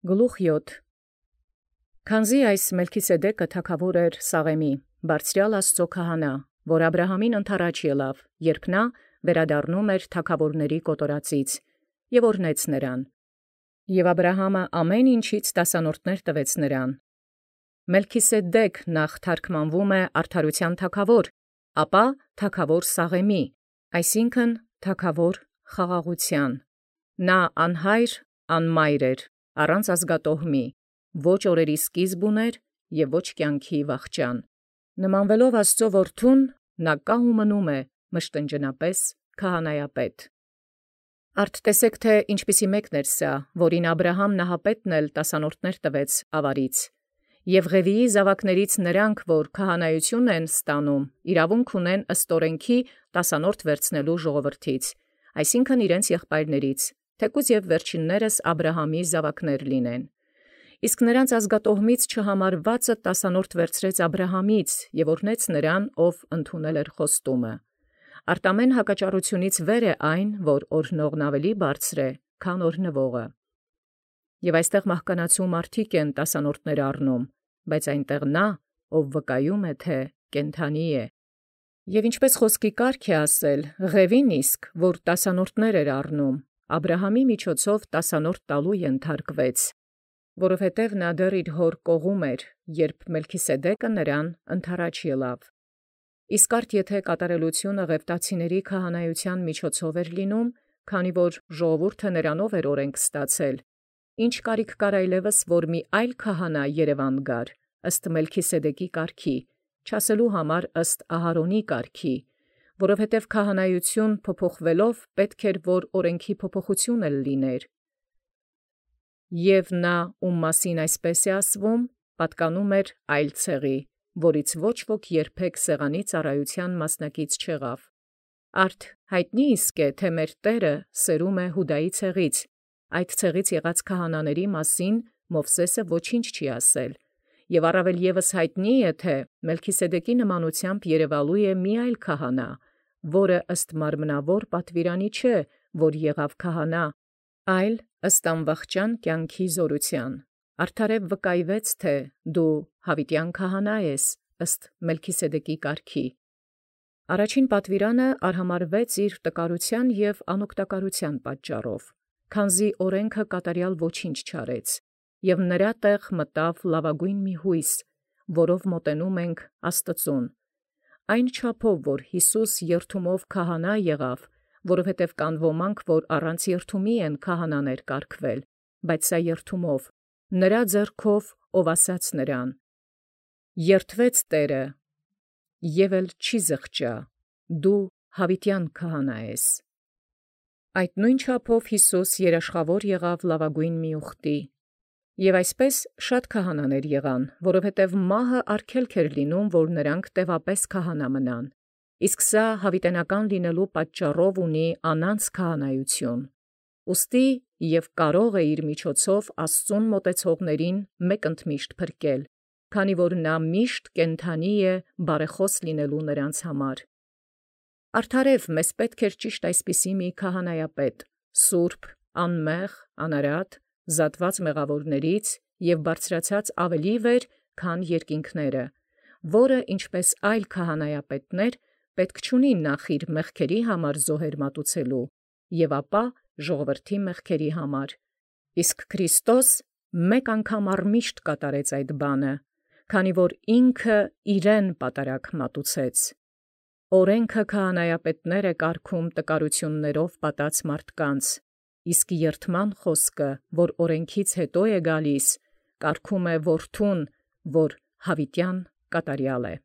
Գլուխ 7. Քանզի այս Մելքիսեդեկը թագաւոր էր Սաղեմի, բարձրյալ Աստուծոյ քահանա, որ Աբրահամին ընթരാճ ելավ, երբ նա վերադառնում էր թագաւորացն կոտորածից, և օրհնեց նրան. և Աբրահամը ամեն ինչից տասանորդս տվեց նրան։ Մելքիսեդեկ նախ թարգմանվում է արդարութեան թագաւոր, ապա թագաւոր Սաղեմի, այսինքն թագաւոր խաղաղութեան։ Նա անհայր անմայր էր, առանց ազգատոհմի, ոչ օրերի սկիզբ ունէր և ոչ կյանքի վախճան։ Նմանվելով Աստուծոյ որդուն, նա կա ու մնում է մշտնջենապէս քահանայապետ։ Արդ տեսէք թէ ինչպիսի մեկն էր սա, որին Աբրահամ նահապետն էլ տասանորդս տվեց աւարից, և Ղևիի զաւակաց նրանք, որ քահանայութիւն են ստանում, իրաւունք ունեն ըստ օրենքի տասանորդ վերցնելու ժողովրդից, այսինքն իրենց եղբայրներից, թեկուզ և վերջիններս Աբրահամի զաւակներ լինեն։ Իսկ նրանց ազգատոհմից չհամարվածը տասանորդ վերցրեց Աբրահամից և օրհնեց նրան, ով ընդունել էր խոստումը։ Արտամեն հակաճառութիւնից վեր է այն, որ օրհնողն ավելի բարձր է, քան օրհնվողը։ Եւ այստեղ մահկանացու մարդիկ են տասանորդս առնում, բայց այնտեղ նա, ով վկայում է, թէ կենդանի է։ Եւ ինչպէս խոսքի կարգ է ասել, Ղևին իսկ, որ տասանորդս էր առնում, Աբրահամի միջոցով տասանորդ տալու ենթարկվեց, որովհետև նա դեռ իր հոր կողում էր, երբ Մելքիսեդեկը նրան ընթരാճ ելավ։ Իսկ արդ եթէ կատարելութիւնը Ղևտացիների քահանայութեան միջոցով էր լինում, քանի որ ժողովուրդը նրանով էր օրենք ստացել, ինչ կարիք կար այլևս, որ մի այլ քահանա երևան գար, ըստ Մելքիսեդեկի կարգի, չասելու համար ըստ Ահարոնի կարգի, որովհետև քահանայութիւն փոփոխվելով պետք էր, որ օրենքի փոփոխութիւն էլ լիներ։ Եւ նա, ում մասին այսպես է ասվում, պատկանում էր այլ ցեղի, որից ոչ ոք երբեք սեղանի ծառայութեան մասնակից չեղավ։ Արդ յայտնի իսկ է, թէ մեր Տէրը սերում է Յուդայի ցեղից, այդ ցեղից եղած քահանաների մասին Մովսէսը ոչինչ չի ասել, և առավել ևս յայտնի է, թէ Մելքիսեդեկի նմանութեամբ երևալու է մի այլ քահանա, որը ըստ մարմնավոր պատուիրանի չէ, որ եղավ քահանա, այլ ըստ անվախճան կյանքի զօրութեան։ Արդարև վկայվեց, թէ դու յաւիտեան քահանա ես, ըստ Մելքիսեդեկի կարգի։ Առաջին պատուիրանը արհամարվեց իր տկարութեան և անօգտակարութեան պատճառով, քանզի օրենքը կատարեալ ոչինչ չարեց, և նրա տեղ մտավ լաւագոյն մի յույս, որով մոտենում ենք Աստուծոյ, այն չափով, որ Յիսուս երդումով քահանա եղավ, որովհետև կան ոմանք, որ առանց երդումի են քահանաներ կարգվել, բայց սա երդումով, նրա ձեռքով, ով ասաց նրան. «Երդվեց Տէրը, և էլ չի զղջա, դու յաւիտեան քահանա ես»։ Այդ նույն չափով Յիսուս երաշխաւոր եղավ լաւագոյն մի ուխտի։ Եւ այսպէս շատ քահանաներ եղան, որովհետև մահը արգելք էր լինում, որ նրանք տևապես քահանա մնան, իսկ սա յաւիտենական լինելու պատճառով ունի անանց քահանայութիւն։ Ուստի և կարող է իր միջոցով Աստուծոյ մոտեցողացն մեկ ընդմիշտ փրկել, քանի որ նա միշտ կենդանի է բարեխաւս լինելու նրանց համար։ Արդարև մեզ պետք էր ճիշտ այսպիսի մի քահանայապետ, սուրբ, անմեղ, անարատ, զատված մեղաւորաց և բարձրացած ավելի վեր, քան երկինքները, որը ինչպէս այլ քահանայապետներ պետք չունի նախ իր մեղքերի համար զոհեր մատուցելու, և ապա ժողովրդի մեղքերի համար։ Իսկ Քրիստոս մեկ անգամ առմիշտ կատարեց այդ բանը, քանի որ ինքը իրեն պատարագ մատուցեց։ Օրենքը քահանայապետներ է կարգում տկարութիւններով պատած մարդկանց, իսկ երդման խոսքը, որ օրենքից հետո է գալիս, կարգում է որդուն, որ յաւիտեան կատարեալ է։